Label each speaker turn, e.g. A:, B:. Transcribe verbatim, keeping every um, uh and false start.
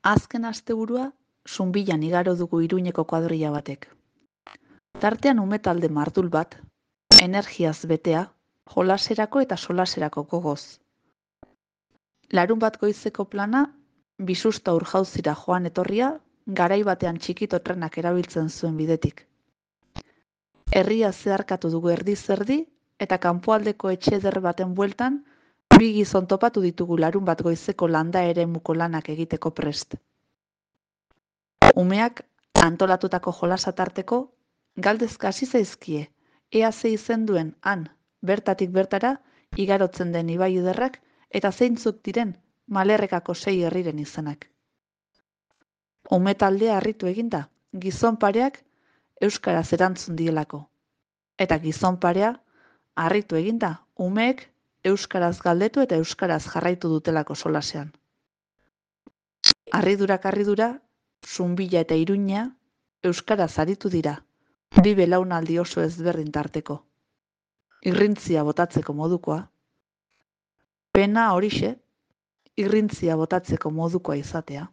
A: Azken asteburua, Zunbilan igaro dugu Iruñeko kuadrilla batek. Tartean ume talde mardul bat, energiaz betea, jolaserako eta solaserako gogoz. Larun bat goizeko plana, bisusta urjauzira joan etorria, garai batean txikito trenak erabiltzen zuen bidetik. Herria zeharkatu dugu erdi-zerdi, eta kanpoaldeko etxe eder baten bueltan, bi gizon topatu ditugu larun bat goizeko landa eremuko lanak egiteko prest. Umeak antolatutako jolasa tarteko, galdezka hasi zaizkie, ea ze izen duen han, bertatik bertara, igarotzen den ibai ederrak, eta zeintzuk diren Malerrekako sei herriren izenak. Ume taldea harritu eginda, gizon pareak euskaraz erantzun dielako. Eta gizon parea harritu eginda, umeek euskaraz galdetu eta euskaraz jarraitu dutelako solasean. Harridurak harridura, Zunbila eta Iruña euskaraz aritu dira, bi belaunaldi oso ezberdin tarteko. Irrintzia botatzeko modukoa. Pena horixe, irrintzia botatzeko modukoa izatea.